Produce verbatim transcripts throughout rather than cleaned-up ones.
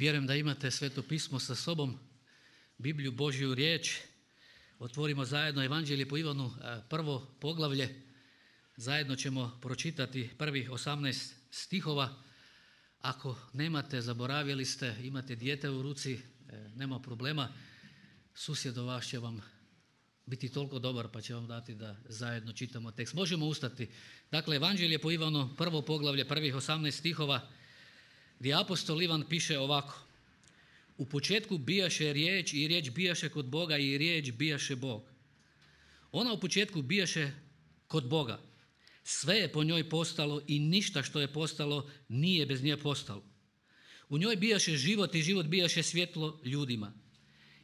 Vjerujem da imate Sveto pismo sa sobom, Bibliju, Božju riječ. Otvorimo zajedno Evanđelje po Ivanu, prvo poglavlje. Zajedno ćemo pročitati prvih osamnaest stihova. Ako nemate, zaboravili ste, imate dijete u ruci, nema problema. Susjed vaš će vam biti toliko dobar pa će vam dati da zajedno čitamo tekst. Možemo ustati. Dakle, Evanđelje po Ivanu, prvo poglavlje, prvih osamnaest stihova, gdje apostol Ivan piše ovako. U početku bijaše riječ i riječ bijaše kod Boga i riječ bijaše Bog. Ona u početku bijaše kod Boga. Sve je po njoj postalo i ništa što je postalo nije bez nje postalo. U njoj bijaše život i život bijaše svjetlo ljudima.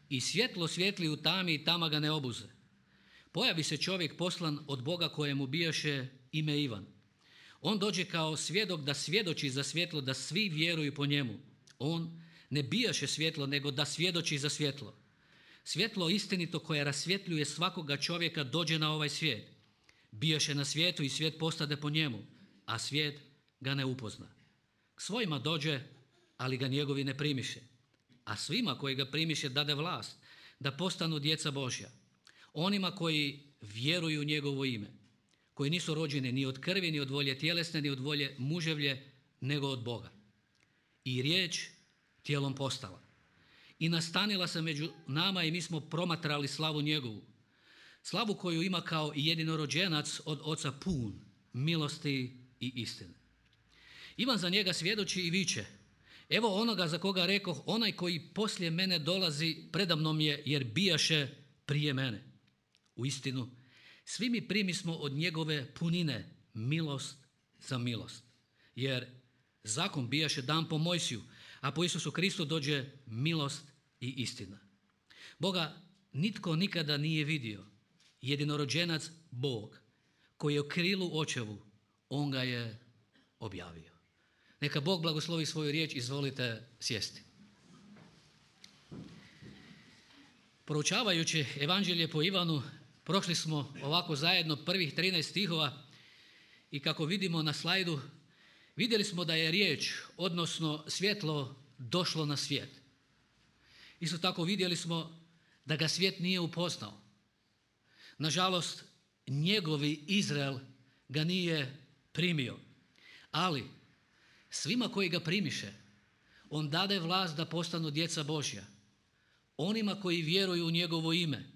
I svjetlo svijetli u tami i tama ga ne obuze. Pojavi se čovjek poslan od Boga kojemu bijaše ime Ivan. On dođe kao svjedok da svjedoči za svjetlo, da svi vjeruju po njemu. On ne bijaše svjetlo, nego da svjedoči za svjetlo. Svjetlo istinito koje rasvjetljuje svakoga čovjeka dođe na ovaj svijet. Bijaše na svijetu i svijet postade po njemu, a svijet ga ne upozna. K svojima dođe, ali ga njegovi ne primiše. A svima koji ga primiše dade vlast, da postanu djeca Božja. Onima koji vjeruju u njegovo ime, koji nisu rođeni ni od krvi, ni od volje tjelesne, ni od volje muževlje, nego od Boga. I riječ tijelom postala. I nastanila se među nama i mi smo promatrali slavu njegovu. Slavu koju ima kao jedinorođenac od Oca pun milosti i istine. Ivan za njega svjedoči i viče. Evo onoga za koga rekoh, onaj koji poslije mene dolazi predamnom je, jer bijaše prije mene. U istinu, svi mi primismo od njegove punine milost za milost. Jer zakon bijaše dan po Mojsiju, a po Isusu Kristu dođe milost i istina. Boga nitko nikada nije vidio. Jedinorođenac Bog, koji je u krilu očevu, on ga je objavio. Neka Bog blagoslovi svoju riječ, izvolite sjesti. Proučavajući Evanđelje po Ivanu, prošli smo ovako zajedno prvih trinaest stihova i kako vidimo na slajdu, vidjeli smo da je riječ, odnosno svjetlo, došlo na svijet. Isto tako vidjeli smo da ga svijet nije upoznao. Nažalost, njegovi Izrael ga nije primio, ali svima koji ga primiše, on dade vlast da postanu djeca Božja. Onima koji vjeruju u njegovo ime,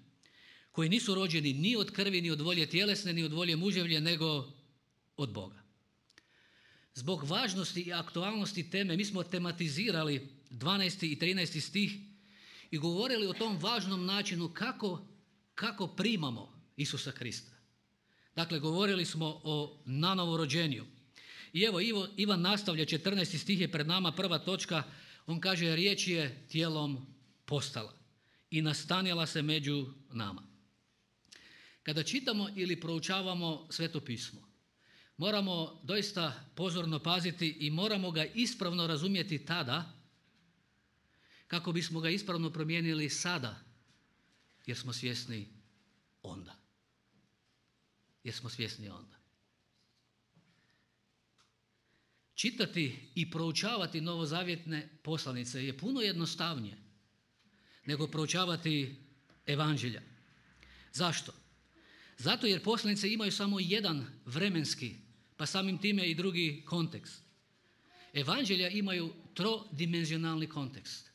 koji nisu rođeni ni od krvi, ni od volje tjelesne, ni od volje muževlje, nego od Boga. Zbog važnosti i aktualnosti teme, mi smo tematizirali dvanaesti i trinaesti stih i govorili o tom važnom načinu kako, kako primamo Isusa Krista. Dakle, govorili smo o nanovo rođenju. I evo, Ivo, Ivan nastavlja, četrnaesti stih je pred nama, prva točka, on kaže, riječ je tijelom postala i nastanila se među nama. Kada čitamo ili proučavamo Sveto pismo, moramo doista pozorno paziti i moramo ga ispravno razumjeti tada kako bismo ga ispravno promijenili sada, jer smo svjesni onda. Jer smo svjesni onda. Čitati i proučavati novozavjetne poslanice je puno jednostavnije nego proučavati Evanđelja. Zašto? Zato jer poslanice imaju samo jedan vremenski, pa samim time i drugi kontekst. Evanđelja imaju trodimenzionalni kontekst.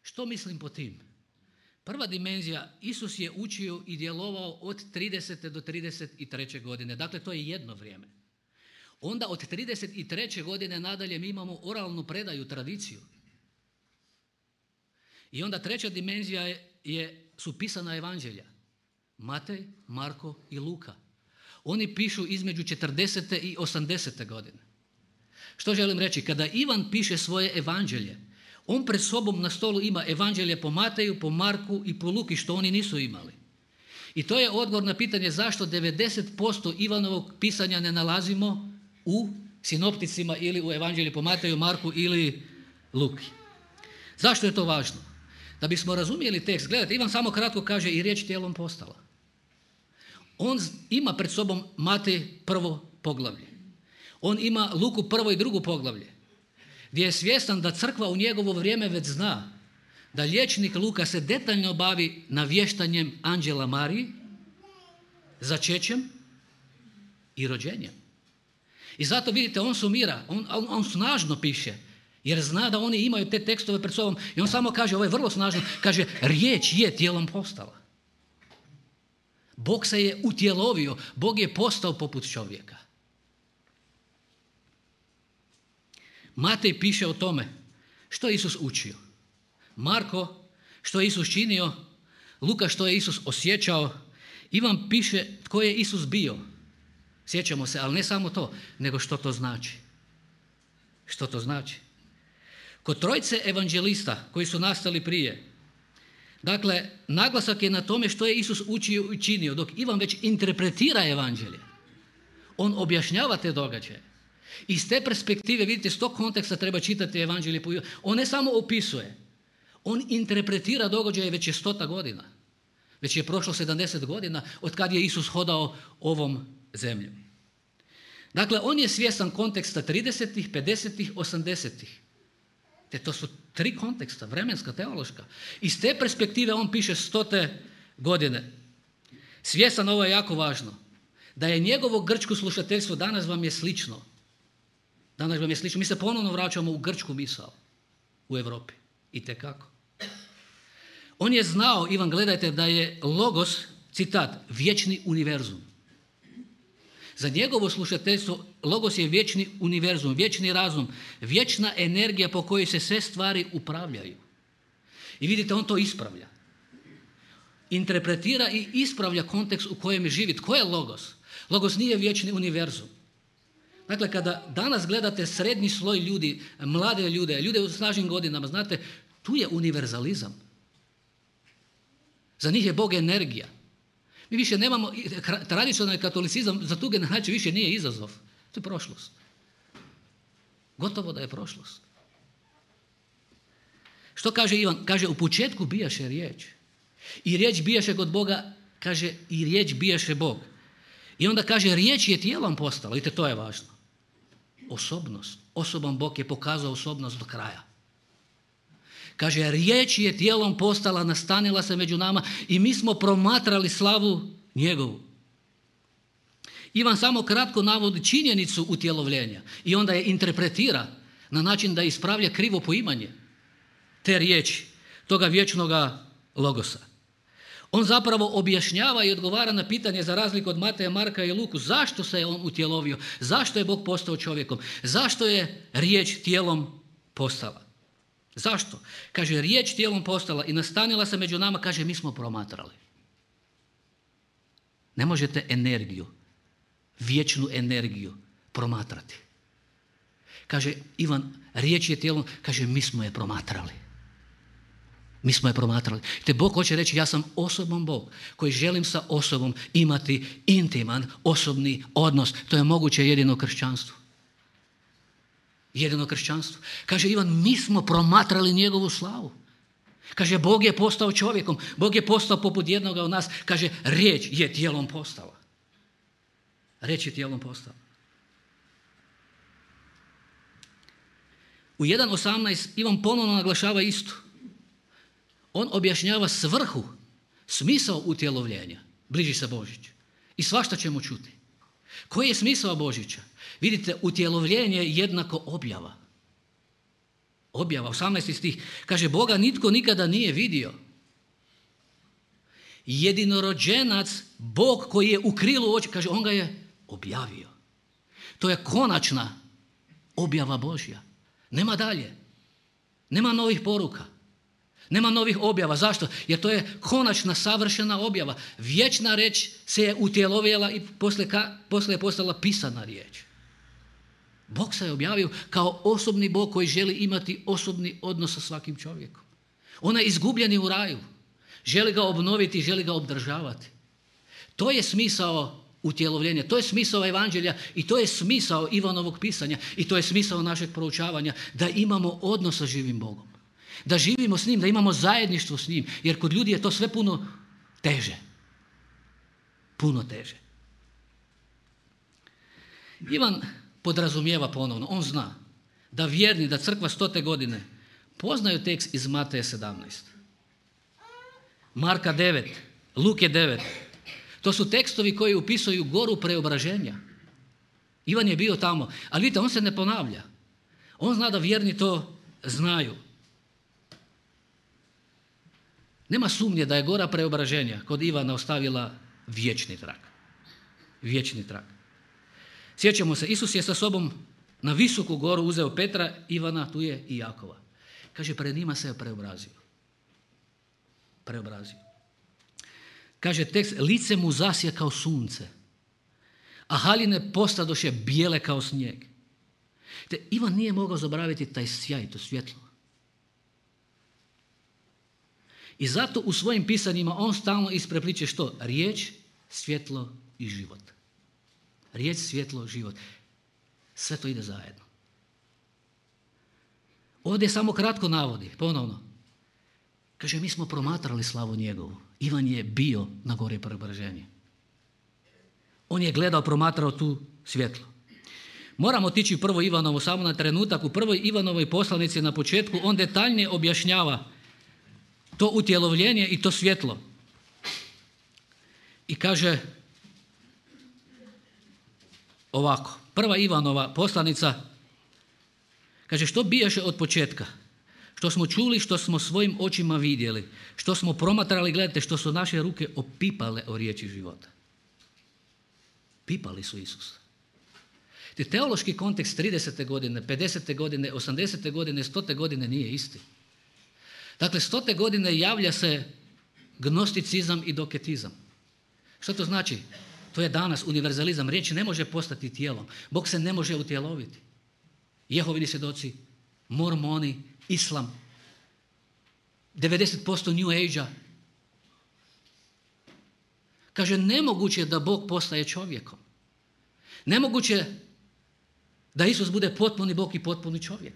Što mislim po tim? Prva dimenzija, Isus je učio i djelovao od tridesete do trideset treće godine. Dakle, to je jedno vrijeme. Onda od trideset treće godine nadalje mi imamo oralnu predaju, tradiciju. I onda treća dimenzija je, je, su pisana evanđelja. Matej, Marko i Luka. Oni pišu između četrdesete i osamdesete godine. Što želim reći? Kada Ivan piše svoje evanđelje, on pred sobom na stolu ima evanđelje po Mateju, po Marku i po Luki, što oni nisu imali. I to je odgovor na pitanje zašto devedeset posto Ivanovog pisanja ne nalazimo u sinopticima ili u evanđelju po Mateju, Marku ili Luki. Zašto je to važno? Da bismo razumjeli tekst, gledajte, Ivan samo kratko kaže i riječ tijelom postala. On ima pred sobom Matej prvo poglavlje. On ima Luku prvo i drugo poglavlje. gdje je svjestan da crkva u njegovo vrijeme već zna da liječnik Luka se detaljno bavi navještanjem anđela Mariji, začećem i rođenjem. I zato vidite, on sumira, on, on, on snažno piše, jer zna da oni imaju te tekstove pred sobom i on samo kaže, ovo je vrlo snažno, kaže, riječ je tijelom postala. Bog se je utjelovio, Bog je postao poput čovjeka. Matej piše o tome što je Isus učio. Marko što je Isus činio, Luka što je Isus osjećao, Ivan piše tko je Isus bio. Sjećamo se, ali ne samo to, nego što to znači. Što to znači? Kod trojice evanđelista koji su nastali prije, dakle, naglasak je na tome što je Isus učio i činio, dok Ivan već interpretira evanđelje. On objašnjava te događaje. Iz te perspektive, vidite, iz tog konteksta treba čitati evanđelje. On ne samo opisuje, on interpretira događaje već je stota godina. Već je prošlo sedamdeset godina od kad je Isus hodao ovom zemljom. Dakle, on je svjestan konteksta tridesetih, pedesetih, osamdesetih. Te to su tri konteksta, vremenska, teološka. Iz te perspektive on piše stote godine. Svjestan, ovo je jako važno, da je njegovo grčko slušateljstvo danas vam je slično. Danas vam je slično. Mi se ponovno vraćamo u grčku misao u Europi. Itekako. On je znao, Ivan, gledajte, da je logos, citat, vječni univerzum. Za njegovo slušateljstvo logos je vječni univerzum, vječni razum, vječna energija po kojoj se sve stvari upravljaju. I vidite, on to ispravlja. Interpretira i ispravlja kontekst u kojem živi. Tko je logos? Logos nije vječni univerzum. Dakle, kada danas gledate srednji sloj ljudi, mlade ljude, ljude u snažnim godinama, znate, tu je univerzalizam. Za njih je Bog energija. Mi više nemamo, tradicionalni katolicizam za tu generaciju više nije izazov. To je prošlost. Gotovo da je prošlost. Što kaže Ivan? Kaže, u početku bijaše riječ. I riječ bijaše kod Boga, kaže, i riječ bijaše Bog. I onda kaže, riječ je tijelom postala. Vidite, to je važno. Osobnost. Osoban Bog je pokazao osobnost do kraja. Kaže, riječ je tijelom postala, nastanila se među nama i mi smo promatrali slavu njegovu. Ivan samo kratko navodi činjenicu utjelovljenja i onda je interpretira na način da ispravlja krivo poimanje te riječi, toga vječnoga logosa. On zapravo objašnjava i odgovara na pitanje, za razliku od Mateja, Marka i Luku, zašto se je on utjelovio, zašto je Bog postao čovjekom, zašto je riječ tijelom postala. Zašto? Kaže, riječ tijelom postala i nastanila se među nama, kaže, mi smo promatrali. Ne možete energiju, vječnu energiju promatrati. Kaže, Ivan, riječ je tijelom, kaže, mi smo je promatrali. Mi smo je promatrali. Te Bog hoće reći, ja sam osoban Bog koji želim sa osobom imati intiman, osobni odnos. To je moguće jedino kršćanstvo. Jedino kršćanstvo. Kaže Ivan, mi smo promatrali njegovu slavu. Kaže, Bog je postao čovjekom. Bog je postao poput jednoga od nas. Kaže, riječ je tijelom postala. Riječ je tijelom postala. U jedan osamnaest Ivan ponovno naglašava isto. On objašnjava svrhu, smisao utjelovljenja. Bliži se Božić. I svašta ćemo čuti. Koji je smisao Božića? Vidite, utjelovljenje je jednako objava. Objava, osamnaesti stih. Kaže, Boga nitko nikada nije vidio. Jedinorođenac, Bog koji je u krilu oči, kaže, on ga je objavio. To je konačna objava Božja. Nema dalje. Nema novih poruka. Nema novih objava. Zašto? Jer to je konačna, savršena objava. Vječna riječ se je utjelovila i poslije, poslije je postala pisana riječ. Bog se je objavio kao osobni Bog koji želi imati osobni odnos sa svakim čovjekom. On je izgubljeni u raju. Želi ga obnoviti, želi ga obdržavati. To je smisao utjelovljenja, to je smisao evanđelja i to je smisao Ivanovog pisanja i to je smisao našeg proučavanja, da imamo odnos sa živim Bogom. Da živimo s njim, da imamo zajedništvo s njim, jer kod ljudi je to sve puno teže. Puno teže. Ivan podrazumijeva ponovno, on zna da vjerni, da crkva stote godine poznaju tekst iz Mateja sedamnaest, Marka devet, Luke devet. To su tekstovi koji upisuju goru preobraženja. Ivan je bio tamo, ali vidite, on se ne ponavlja. On zna da vjerni to znaju. Nema sumnje da je gora preobraženja kod Ivana ostavila vječni trag. Vječni trag. Sjećamo se, Isus je sa sobom na visoku goru uzeo Petra, Ivana, tu je i Jakova. Kaže, pred njima se je preobrazio. Preobrazio. Kaže tekst, lice mu zasje kao sunce, a haljine postadoše bijele kao snijeg. Te Ivan nije mogao zaboraviti taj sjaj, to svjetlo. I zato u svojim pisanjima on stalno isprepliče što? Riječ, svjetlo i život. Riječ, svjetlo, život. Sve to ide zajedno. Ovdje samo kratko navodi, ponovno. Kaže, mi smo promatrali slavu njegovu. Ivan je bio na gori preobraženja. On je gledao, promatrao tu svjetlo. Moramo otići u prvo Ivanovo samo na trenutak. U prvoj Ivanovoj poslanici na početku on detaljnije objašnjava to utjelovljenje i to svjetlo. I kaže ovako, prva Ivanova poslanica, kaže, što bijaše od početka? Što smo čuli, što smo svojim očima vidjeli, što smo promatrali, gledajte, što su naše ruke opipale o riječi života. Pipali su Isusa. Te teološki kontekst tridesete godine, pedesete godine, osamdesete godine, stote godine nije isti. Dakle, stote godine javlja se gnosticizam i doketizam. Što to znači? To je danas univerzalizam. Riječ ne može postati tijelom. Bog se ne može utjeloviti. Jehovini svjedoci, mormoni, islam, devedeset posto New Age-a. Kaže, nemoguće da Bog postaje čovjekom. Nemoguće da Isus bude potpuni Bog i potpuni čovjek.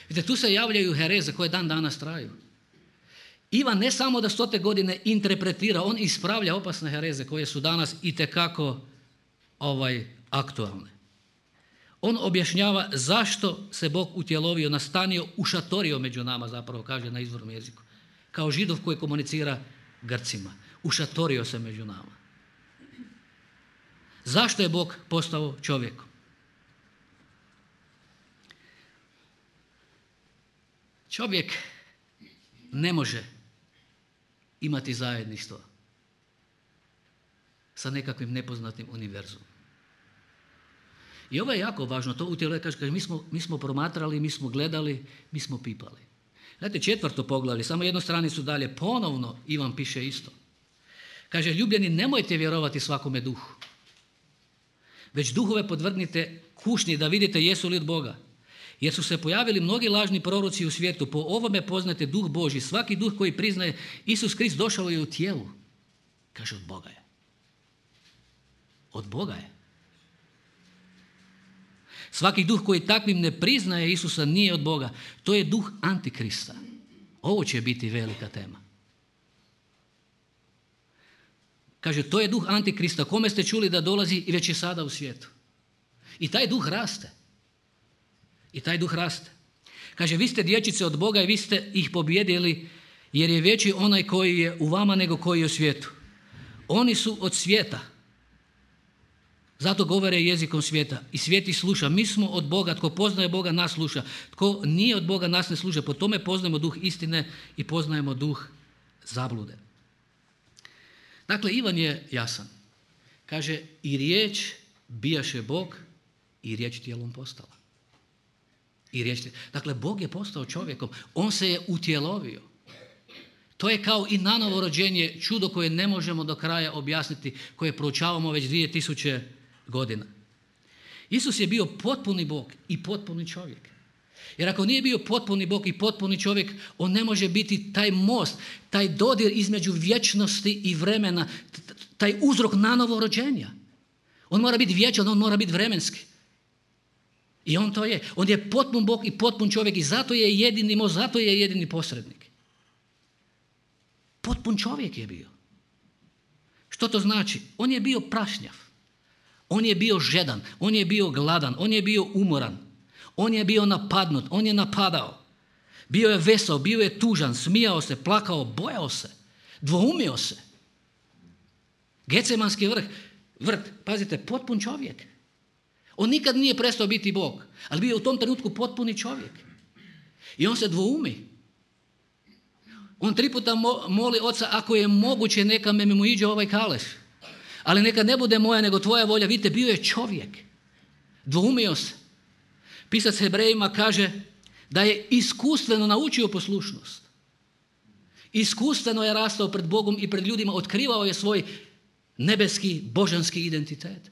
Vidite, tu se javljaju hereze koje dan danas traju. Ivan ne samo da stote godine interpretira, on ispravlja opasne hereze koje su danas itekako ovaj, aktualne. On objašnjava zašto se Bog utjelovio, nastanio, ušatorio među nama, zapravo kaže na izvornom jeziku. Kao Židov koji komunicira Grcima. Ušatorio se među nama. Zašto je Bog postao čovjekom? Čovjek ne može imati zajedništvo sa nekakvim nepoznatim univerzumom. I ovo je jako važno, to utjelovljenje kaže, kaže mi, smo, mi smo promatrali, mi smo gledali, mi smo pipali. Znate, četvrto poglavlje, samo jednu stranicu dalje, ponovno Ivan piše isto. Kaže, ljubljeni, nemojte vjerovati svakome duhu, već duhove podvrgnite kušnji da vidite jesu li od Boga. Jer su se pojavili mnogi lažni proroci u svijetu, po ovome poznate duh Božji. Svaki duh koji priznaje Isus Krist došao je u tijelu. Kaže, od Boga je. Od Boga je. Svaki duh koji takvim ne priznaje Isusa nije od Boga. To je duh Antikrista. Ovo će biti velika tema. Kaže, to je duh Antikrista, kome ste čuli da dolazi i već je sada u svijetu. I taj duh raste. I taj duh raste. Kaže, vi ste dječice od Boga i vi ste ih pobjedili jer je veći onaj koji je u vama nego koji je u svijetu. Oni su od svijeta. Zato govore jezikom svijeta. I svijet ih sluša. Mi smo od Boga. Tko poznaje Boga, nas sluša. Tko nije od Boga, nas ne sluša. Po tome poznajemo duh istine i poznajemo duh zablude. Dakle, Ivan je jasan. Kaže, i riječ bijaše Bog i riječ tijelom postala. I riječ, dakle, Bog je postao čovjekom. On se je utjelovio. To je kao i nanovo rođenje, čudo koje ne možemo do kraja objasniti, koje proučavamo već dvije tisuće godina. Isus je bio potpuni Bog i potpuni čovjek. Jer ako nije bio potpuni Bog i potpuni čovjek, on ne može biti taj most, taj dodir između vječnosti i vremena, taj uzrok nanovo rođenja. On mora biti vječan, on mora biti vremenski. I on to je. On je potpun Bog i potpun čovjek i zato je jedini most, zato je jedini posrednik. Potpun čovjek je bio. Što to znači? On je bio prašnjav. On je bio žedan. On je bio gladan. On je bio umoran. On je bio napadnut, on je napadao. Bio je vesao, bio je tužan, smijao se, plakao, bojao se, dvoumio se. Getsemanski vrh, vrt, pazite, potpun čovjek. On nikad nije prestao biti Bog, ali bio je u tom trenutku potpuni čovjek. I on se dvoumi. On tri puta moli Oca, ako je moguće, neka me mu iđe ovaj kaleš. Ali neka ne bude moja, nego tvoja volja. Vidite, bio je čovjek. Dvoumio se. Pisac Hebrejima kaže da je iskustveno naučio poslušnost. Iskustveno je rastao pred Bogom i pred ljudima, otkrivao je svoj nebeski, božanski identitet.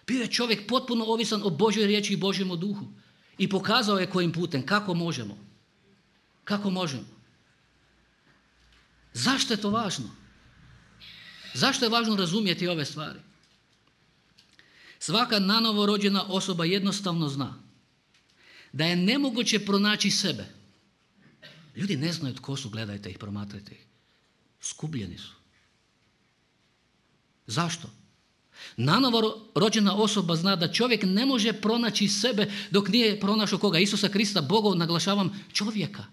Bio je čovjek potpuno ovisan o Božjoj riječi i Božjem duhu. I pokazao je kojim putem, kako možemo. Kako možemo. Zašto je to važno? Zašto je važno razumjeti ove stvari? Svaka nanovo rođena osoba jednostavno zna da je nemoguće pronaći sebe. Ljudi ne znaju tko su, gledajte ih, promatrajte ih. Skubljeni su. Zašto? Nanovo rođena osoba zna da čovjek ne može pronaći sebe dok nije pronašao koga? Isusa Krista, Boga, naglašavam, čovjeka.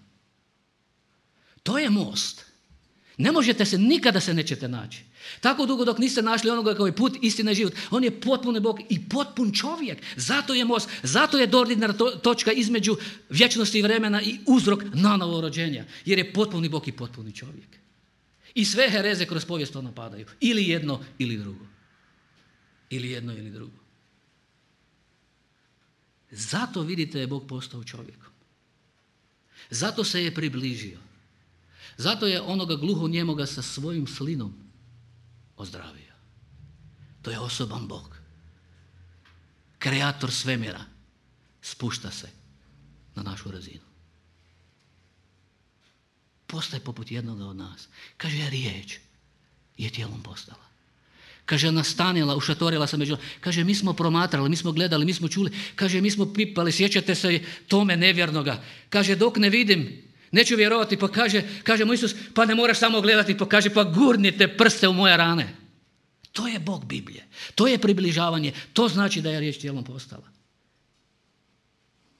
To je most. Ne možete se, nikada se nećete naći. Tako dugo dok niste našli onoga koji je put, istina i život. On je potpuni Bog i potpun čovjek. Zato je most, zato je dodirna točka između vječnosti i vremena i uzrok nanovo rođenja. Jer je potpuni Bog i potpuni čovjek. I sve hereze kroz povijest to napadaju. Ili jedno, ili drugo. Ili jedno, ili drugo. Zato vidite je Bog postao čovjekom. Zato se je približio. Zato je onoga gluhonjemoga sa svojim slinom ozdravio. To je osoban Bog. Kreator svemira spušta se na našu razinu. Postaje poput jednoga od nas. Kaže, riječ je tijelom postala. Kaže, nastanila, ušatorila se među... Kaže, mi smo promatrali, mi smo gledali, mi smo čuli. Kaže, mi smo pipali, sjećate se tome nevjernoga. Kaže, dok ne vidim, neću vjerovati, pa kaže, kaže mu Isus, pa ne moraš samo gledati, pa kaže, pa gurnite prste u moje rane. To je Bog Biblije. To je približavanje. To znači da je riječ tijelom postala.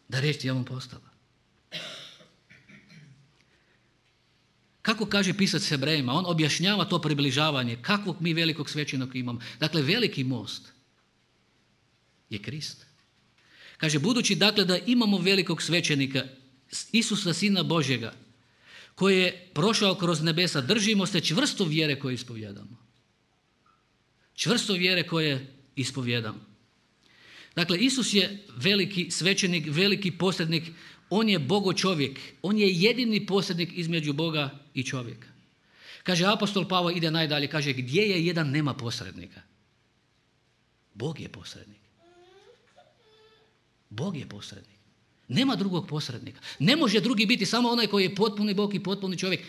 Da je riječ tijelom postala. Kako kaže pisac Hebrejima? On objašnjava to približavanje. Kakvog mi velikog svećenika imamo? Dakle, veliki most je Krist. Kaže, budući dakle da imamo velikog svećenika, Isusa, Sina Božjega, koji je prošao kroz nebesa, držimo se čvrsto vjere koje ispovjedamo. Čvrsto vjere koje ispovjedamo. Dakle, Isus je veliki svećenik, veliki posrednik, on je Bogo čovjek, on je jedini posrednik između Boga i čovjeka. Kaže, apostol Pavao ide najdalje, kaže, gdje je jedan nema posrednika? Bog je posrednik. Bog je posrednik. Nema drugog posrednika. Ne može drugi biti, samo onaj koji je potpuni Bog i potpuni čovjek.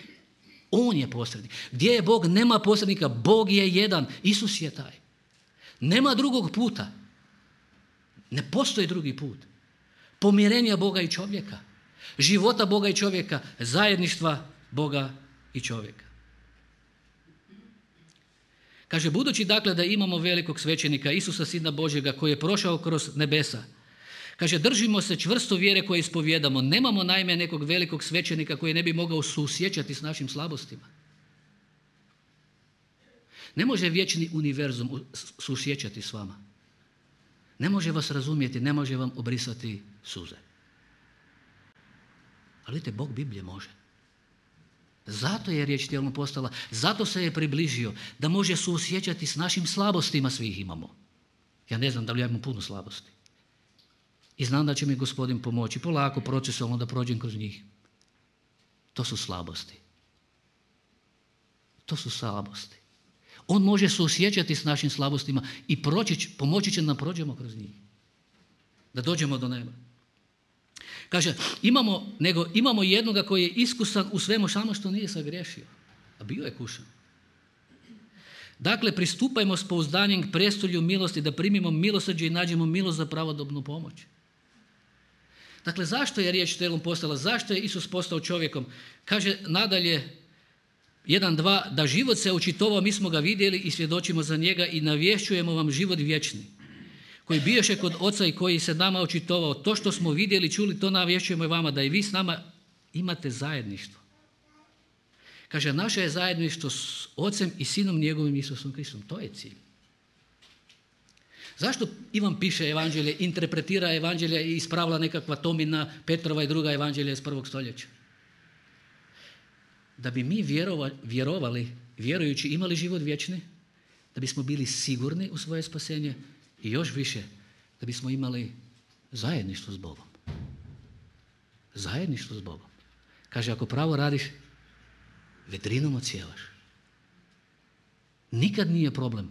On je posrednik. Gdje je Bog? Nema posrednika. Bog je jedan. Isus je taj. Nema drugog puta. Ne postoji drugi put. Pomirenja Boga i čovjeka. Života Boga i čovjeka. Zajedništva Boga i čovjeka. Kaže, budući dakle da imamo velikog svećenika, Isusa, Sina Božjega, koji je prošao kroz nebesa, kaže, držimo se čvrsto vjere koje ispovjedamo. Nemamo naime nekog velikog svećenika koji ne bi mogao susjećati s našim slabostima. Ne može vječni univerzum susjećati s vama. Ne može vas razumjeti, ne može vam obrisati suze. Ali vidite, Bog Biblije može. Zato je riječ tijelom postala, zato se je približio, da može susjećati s našim slabostima, svih imamo. Ja ne znam da li ja imam puno slabosti. I znam da će mi Gospodin pomoći polako, procesualno da prođem kroz njih. To su slabosti. To su slabosti. On može susjećati s našim slabostima i proći, pomoći će nam prođemo kroz njih. Da dođemo do neba. Kaže, imamo, nego imamo jednoga koji je iskusan u svemu, samo što nije sagriješio. A bio je kušan. Dakle, pristupajmo s pouzdanjem k prestolju milosti, da primimo milosrđe i nađemo milost za pravodobnu pomoć. Dakle, zašto je riječ tijelom postala? Zašto je Isus postao čovjekom? Kaže nadalje, jedan, dva, da život se očitovao, mi smo ga vidjeli i svjedočimo za njega i navješćujemo vam život vječni, koji biješe kod Oca i koji se nama očitovao. To što smo vidjeli, čuli, to navješćujemo i vama, da i vi s nama imate zajedništvo. Kaže, naše je zajedništvo s Ocem i Sinom njegovim Isusom Kristom. To je cilj. Zašto Ivan piše evanđelje, interpretira evanđelje i ispravlja nekakva Tomina, Petrova i druga evanđelja iz prvog stoljeća? Da bi mi vjerovali, vjerovali, vjerujući, imali život vječni, da bismo bili sigurni u svoje spasenje i još više, da bismo imali zajedništvo s Bogom. Zajedništvo s Bogom. Kaže, ako pravo radiš, vedrinom odsjevaš. Nikad nije problem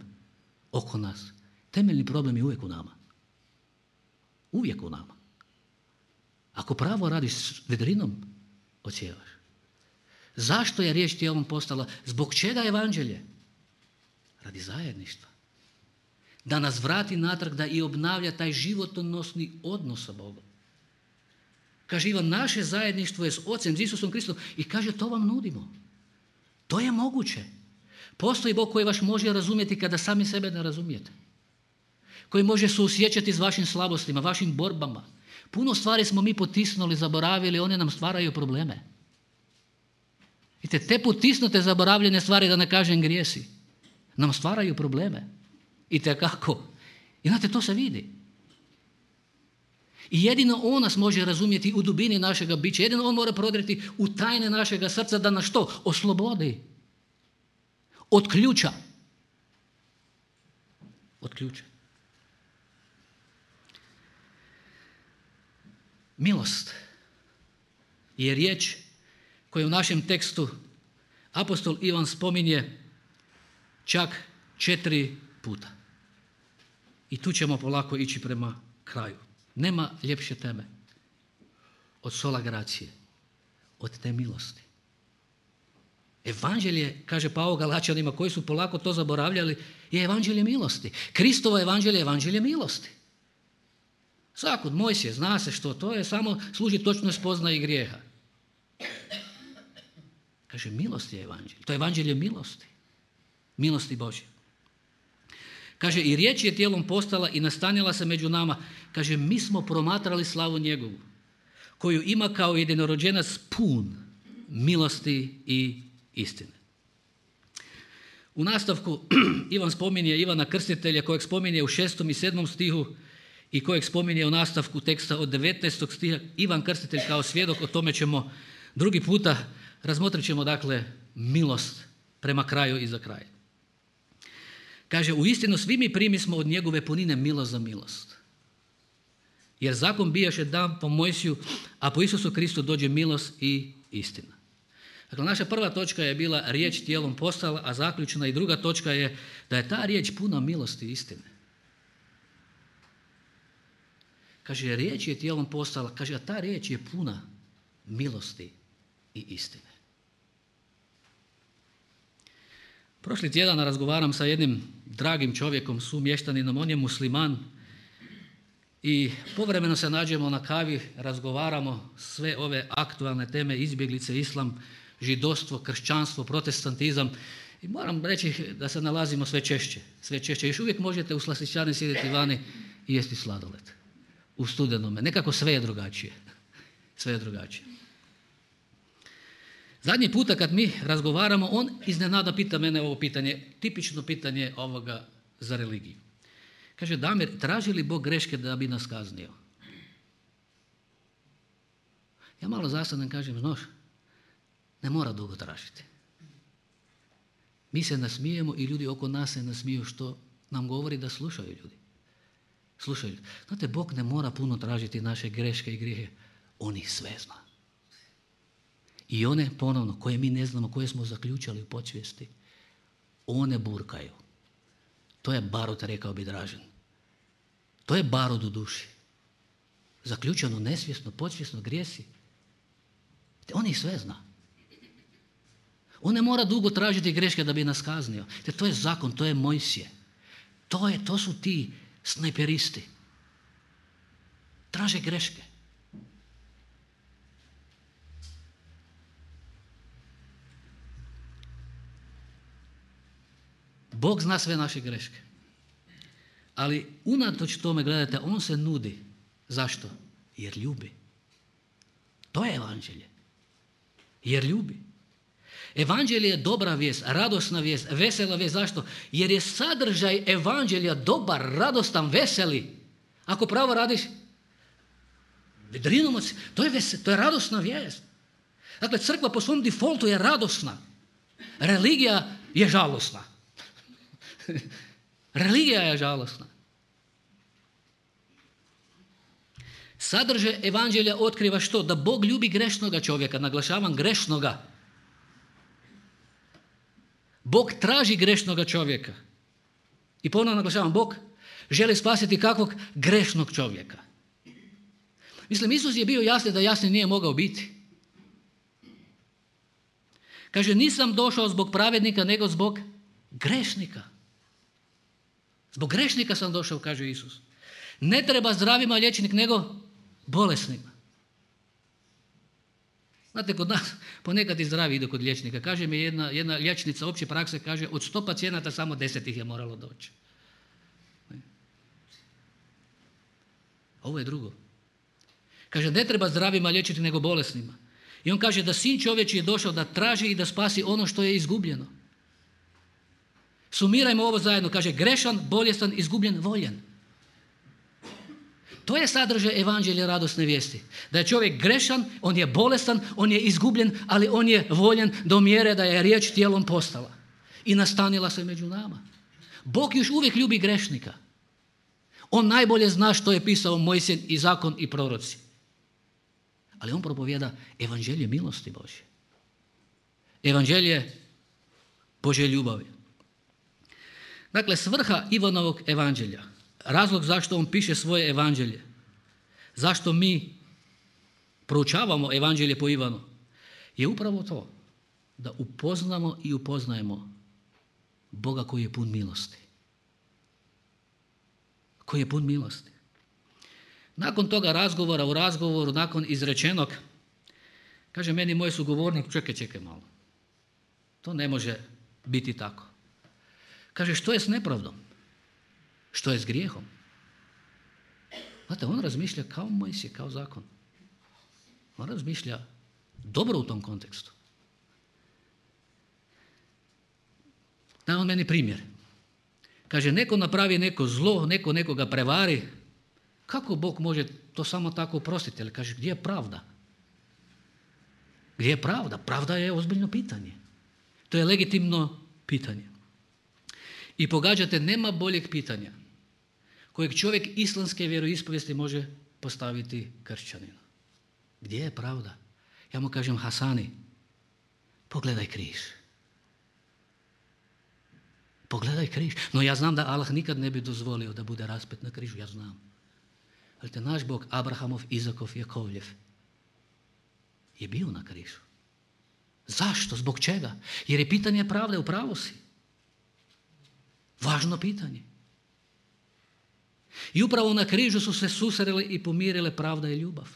oko nas. Temeljni problem je uvijek u nama. Uvijek u nama. Ako pravo radiš, vedrinom odsjevaš. Zašto je riječ tijelom postala? Zbog čega evanđelje? Radi zajedništva. Da nas vrati natrag, da i obnavlja taj životonosni odnos sa Bogom. Kaže Ivan, naše zajedništvo je s Ocem, s Isusom Kristom, i kaže, to vam nudimo. To je moguće. Postoji Bog koji vas može razumjeti kada sami sebe ne razumijete. Koji može suosjećati s vašim slabostima, vašim borbama. Puno stvari smo mi potisnuli, zaboravili, one nam stvaraju probleme. I te, te potisnute, zaboravljene stvari, da ne kažem grijesi, nam stvaraju probleme. I tekako. I znate, to se vidi. I jedino On nas može razumjeti u dubini našega bića. Jedino On mora prodreti u tajne našega srca da nas što? Oslobodi. Od ključa. Od ključa. Milost je riječ koju u našem tekstu apostol Ivan spominje čak četiri puta. I tu ćemo polako ići prema kraju. Nema ljepše teme od sola gracije, od te milosti. Evanđelje, kaže Pavao Galačanima koji su polako to zaboravljali, je evanđelje milosti. Kristovo evanđelje je evanđelje milosti. Zakon Mojsije, zna se što to je, samo služi točno spoznaji grijeha. Kaže, milost je evanđelje. To je evanđelje milosti. Milosti Božje. Kaže, i riječ je tijelom postala i nastanila se među nama. Kaže, mi smo promatrali slavu njegovu, koju ima kao jedinorođenac pun milosti i istine. U nastavku Ivan spominje Ivana Krstitelja, kojeg spominje u šestom i sedmom stihu i kojeg spominje u nastavku teksta od devetnaestog stiha. Ivan Krstitelj kao svjedok, o tome ćemo drugi puta, razmotrit ćemo dakle milost prema kraju i za kraj. Kaže, u istinu svi mi primismo od njegove punine milost za milost. Jer zakon bijaše dan po Mojsiju, a po Isusu Kristu dođe milost i istina. Dakle, naša prva točka je bila riječ tijelom postala, a zaključna i druga točka je da je ta riječ puna milosti i istine. Kaže, riječ je tijelom postala, kaže, a ta riječ je puna milosti i istine. Prošli tjedan razgovaram sa jednim dragim čovjekom, sumještaninom, on je musliman i povremeno se nađemo na kavi, razgovaramo sve ove aktualne teme, izbjeglice, islam, židovstvo, kršćanstvo, protestantizam i moram reći da se nalazimo sve češće, sve češće. Još uvijek možete u slastičarni sjediti vani i jesti sladoled u studenome. Nekako sve je drugačije. Sve je drugačije. Zadnji puta kad mi razgovaramo, on iznenada pita mene ovo pitanje, tipično pitanje ovoga za religiju. Kaže, Damir, traži li Bog greške da bi nas kaznio? Ja malo zasadnem kažem, znaš, ne mora dugo tražiti. Mi se nasmijemo i ljudi oko nas se nasmiju, što nam govori da slušaju ljudi. Slušaju. Znate, Bog ne mora puno tražiti naše greške i grijehe. On ih sve zna. I one, ponovno, koje mi ne znamo, koje smo zaključali u podsvijesti, one burkaju. To je barut, rekao bi Dražen. To je barut u duši. Zaključeno, nesvjesno, podsvjesno, grijesi. On ih sve zna. On ne mora dugo tražiti greške da bi nas kaznio. Te to je zakon, to je Mojsije. To, je, to su ti snajperisti. Traže greške. Bog zna sve naše greške. Ali unatoč tome, gledajte, on se nudi. Zašto? Jer ljubi. To je evanđelje. Jer ljubi. Evanđelje je dobra vijest, radosna vijest, vesela vijest. Zašto? Jer je sadržaj evanđelja dobar, radostan, veseli. Ako pravo radiš, vedrinom od... to je, ves... to je radosna vijest. Dakle, crkva po svom defaultu je radosna. Religija je žalosna. Religija je žalosna. Sadržaj evanđelja otkriva što? Da Bog ljubi grešnoga čovjeka, naglašavam grešnoga. Bog traži grešnoga čovjeka. I ponovno naglašavam, Bog želi spasiti kakvog? Grešnog čovjeka. Mislim, Isus je bio jasni da jasni nije mogao biti. Kaže, nisam došao zbog pravednika, nego zbog grešnika. Zbog grešnika sam došao, kaže Isus. Ne treba zdravima liječnik, nego bolesnima. Znate, kod nas ponekad i zdravi idu kod liječnika. Kaže mi jedna, jedna liječnica opće prakse, kaže, od sto pacijenata samo deset ih je moralo doći. Ovo je drugo. Kaže, ne treba zdravima liječiti, nego bolesnima. I on kaže da sin čovječji je došao da traži i da spasi ono što je izgubljeno. Sumirajmo ovo zajedno. Kaže, grešan, bolestan, izgubljen, voljen. To je sadržaj evanđelja radosne vijesti. Da je čovjek grešan, on je bolestan, on je izgubljen, ali on je voljen do mjere da je riječ tijelom postala. I nastanila se među nama. Bog još uvijek ljubi grešnika. On najbolje zna što je pisao Mojsije i zakon i proroci. Ali on propovijeda evanđelje milosti Božje. Evanđelje Božje ljubavi. Dakle, svrha Ivanovog evanđelja, razlog zašto on piše svoje evanđelje, zašto mi proučavamo evanđelje po Ivanu, je upravo to da upoznamo i upoznajemo Boga koji je pun milosti. Koji je pun milosti. Nakon toga razgovora u razgovoru, nakon izrečenog, kaže meni moj sugovornik, čekaj, čekaj malo. To ne može biti tako. Kaže, što je s nepravdom? Što je s grijehom? Znate, on razmišlja kao Mojsije, kao zakon. On razmišlja dobro u tom kontekstu. Da on meni primjer. Kaže, neko napravi neko zlo, neko nekoga prevari. Kako Bog može to samo tako oprostiti? Ali kaže, gdje je pravda? Gdje je pravda? Pravda je ozbiljno pitanje. To je legitimno pitanje. I pogađate, nema boljeg pitanja kojeg čovjek islamske vjeroispovijesti može postaviti kršćaninu. Gdje je pravda? Ja mu kažem, Hasani, pogledaj križ. Pogledaj križ. No ja znam da Allah nikad ne bi dozvolio da bude raspet na križu, ja znam. Ali te naš Bog, Abrahamov, Izakov, Jakovljev, je bio na križu. Zašto? Zbog čega? Jer je pitanje pravde, u pravu si. Važno pitanje. I upravo na križu su se susreli i pomirile pravda i ljubav.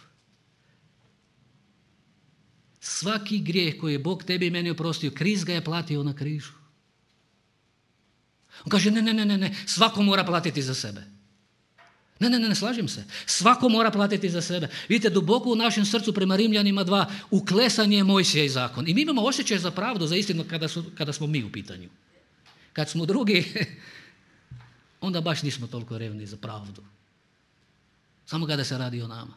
Svaki grijeh koji je Bog tebi i meni oprostio, Krist ga je platio na križu. On kaže, ne, ne, ne, ne, ne, svako mora platiti za sebe. Ne, ne, ne, ne slažem se. Svako mora platiti za sebe. Vidite, duboko u našem srcu prema Rimljanima dva, uklesan je Mojsije i zakon. I mi imamo osjećaj za pravdu, za istinu kada, su, kada smo mi u pitanju. Kad smo drugi, onda baš nismo toliko revni za pravdu. Samo kada se radi o nama.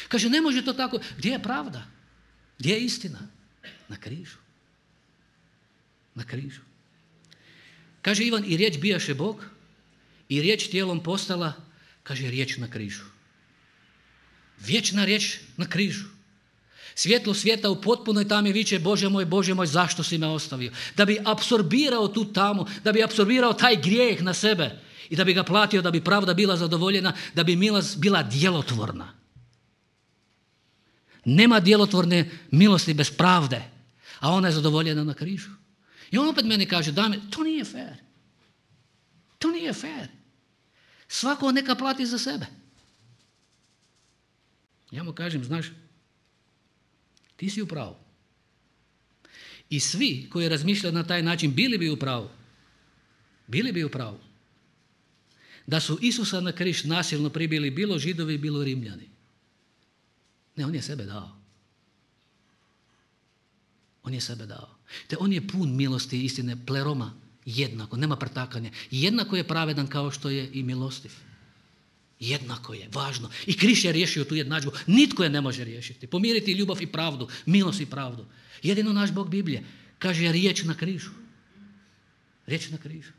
Kaže, ne može to tako. Gdje je pravda? Gdje je istina? Na križu. Na križu. Kaže Ivan, i riječ bijaše Bog, i riječ tijelom postala, kaže, riječ na križu. Vječna riječ na križu. Svjetlo svijeta u potpunoj tami viče, Bože moj, Bože moj, zašto si me ostavio? Da bi apsorbirao tu tamu, da bi apsorbirao taj grijeh na sebe i da bi ga platio, da bi pravda bila zadovoljena, da bi milost bila djelotvorna. Nema djelotvorne milosti bez pravde, a ona je zadovoljena na križu. I on opet meni kaže, dame, to nije fair. To nije fair. Svako neka plati za sebe. Ja mu kažem, znaš, ti si u pravu. I svi koji razmišljaju na taj način bili bi u pravu. Bili bi u pravu. da su Isusa na križ nasilno pribili bilo Židovi, bilo Rimljani. Ne, on je sebe dao. On je sebe dao. Te on je pun milosti i istine, pleroma, jednako, nema pretakanja. Jednako je pravedan kao što je i milostiv. Jednako je, važno. I križ je riješio tu jednadžbu. Nitko je ne može riješiti. Pomiriti ljubav i pravdu, milost i pravdu. Jedino naš Bog Biblije kaže riječ na križu. Riječ na križu.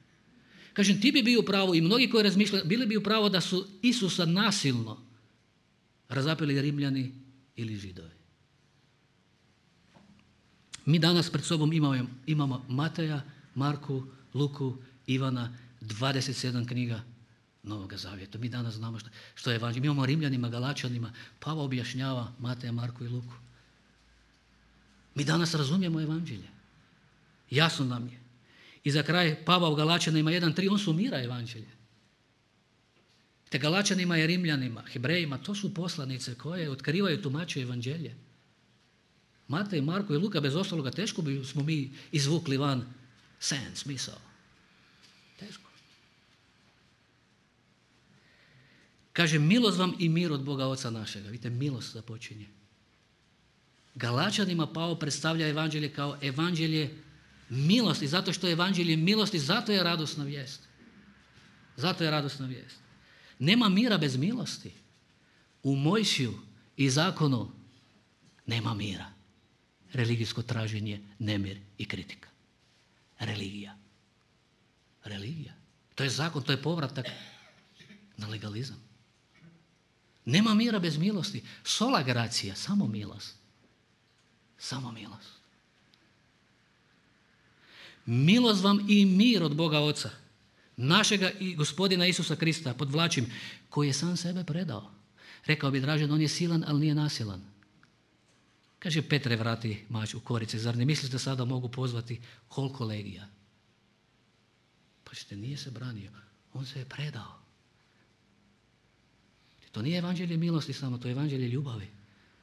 Kažem, ti bi bio u pravu i mnogi koji razmišljaju, bili bi u pravu da su Isusa nasilno razapeli Rimljani ili Židovi. Mi danas pred sobom imamo, imamo Mateja, Marku, Luku, Ivana, dvadeset sedam knjiga Novoga Zavjeta. Mi danas znamo što, što je evanđelje. Mi imamo Rimljanima, Galačanima, Pavao objašnjava Mateja, Marku i Luku. Mi danas razumijemo evanđelje. Jasno nam je. I za kraj Pavao Galačanima jedan tri, on sumira evanđelje. Te Galačanima i Rimljanima, Hebrejima, to su poslanice koje otkrivaju tumače evanđelje. Matej, Marko i Luka, bez ostaloga, teško bi smo mi izvukli van sen, smisao. Teško. Kaže, milost vam i mir od Boga Oca našega. Vidite, milost započinje. Galačanima Pavao predstavlja evanđelje kao evanđelje milosti, zato što je evanđelje milosti, zato je radosna vijest. Zato je radosna vijest. Nema mira bez milosti. U Mojsiju i zakonu nema mira. Religijsko traženje, nemir i kritika. Religija. Religija. To je zakon, to je povratak na legalizam. Nema mira bez milosti. Sola gracija, samo milost. Samo milost. Milost vam i mir od Boga Oca, našega i Gospodina Isusa Krista, podvlačim, koji je sam sebe predao. Rekao bi Dražen, on je silan, ali nije nasilan. Kaže, Petre, vrati mač u korice, zar ne misliš da sada mogu pozvati koliko legija? Pa ćete, nije se branio, on se je predao. To nije evanđelje milosti samo, to je evanđelje ljubavi.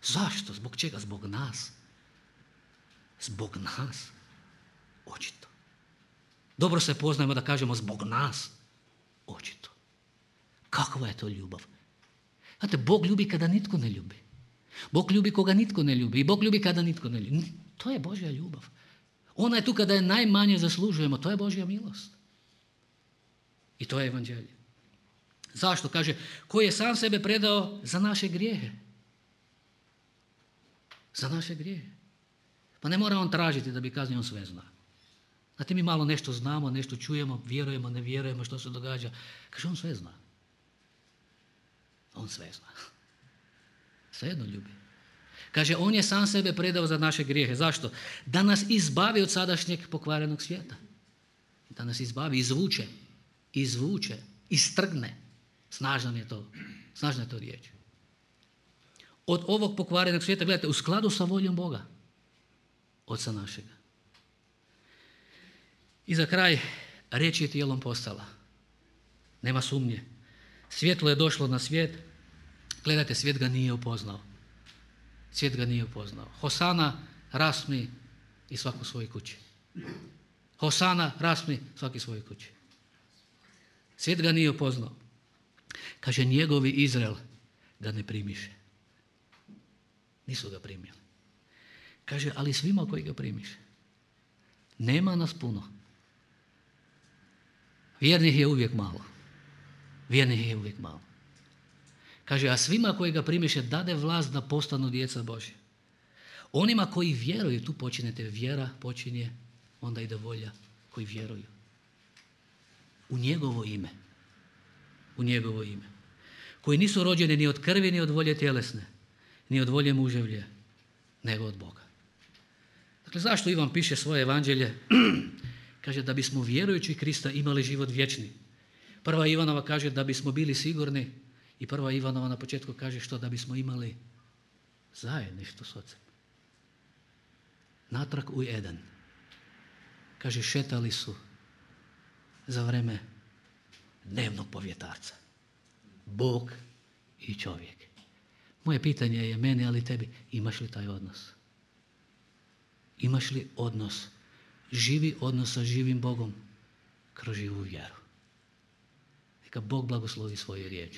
Zašto? Zbog čega? Zbog nas. Zbog nas. Očito. Dobro se poznajemo da kažemo zbog nas. Očito. Kakva je to ljubav? Znate, Bog ljubi kada nitko ne ljubi. Bog ljubi koga nitko ne ljubi. I Bog ljubi kada nitko ne ljubi. To je Božja ljubav. Ona je tu kada je najmanje zaslužujemo. To je Božja milost. I to je evanđelje. Zašto? Kaže, koji je sam sebe predao za naše grijehe. Za naše grijehe. Pa ne mora on tražiti da bi kaznio, on sve zna. Znate, mi malo nešto znamo, nešto čujemo, vjerujemo, ne vjerujemo, što se događa. Kaže, on sve zna. On sve zna. Svejedno ljubi. Kaže, on je sam sebe predao za naše grijehe. Zašto? Da nas izbavi od sadašnjeg pokvarenog svijeta. Da nas izbavi, izvuče. Izvuče. Istrgne. Snažna je to. Snažna je to riječ. Od ovog pokvarenog svijeta, gledajte, u skladu sa voljom Boga. Oca našega. I za kraj, riječ je tijelom postala. Nema sumnje. Svjetlo je došlo na svijet. Gledajte, svijet ga nije upoznao. Svijet ga nije upoznao. Hosana, rasmi i svako u svojoj kući. Hosana, rasmi, svaki u svojoj kući. Svijet ga nije upoznao. Kaže, njegovi Izrael ga ne primiše. Nisu ga primili. Kaže, ali svima koji ga primiše. Nema nas puno. Vjernih je uvijek malo. Vjernih je uvijek malo. Kaže, a svima koji ga primiše dade vlast da postanu djeca Božja. Onima koji vjeruju, tu počinjete, vjera počinje, onda ide volja, koji vjeruju. U njegovo ime. U njegovo ime. Koji nisu rođeni ni od krvi, ni od volje tjelesne, ni od volje muževlje, nego od Boga. Dakle, zašto Ivan piše svoje evanđelje? Kaže, da bismo vjerujući Krista imali život vječni. Prva Ivanova kaže da bismo bili sigurni i prva Ivanova na početku kaže što? Da bismo imali zajedništvo s Ocem. Natrag u Eden. Kaže, šetali su za vreme dnevnog povjetarca. Bog i čovjek. Moje pitanje je meni, ali tebi, imaš li taj odnos? Imaš li odnos? Živi odnos sa živim Bogom kroz živu vjeru. Neka Bog blagoslovi svoju riječ.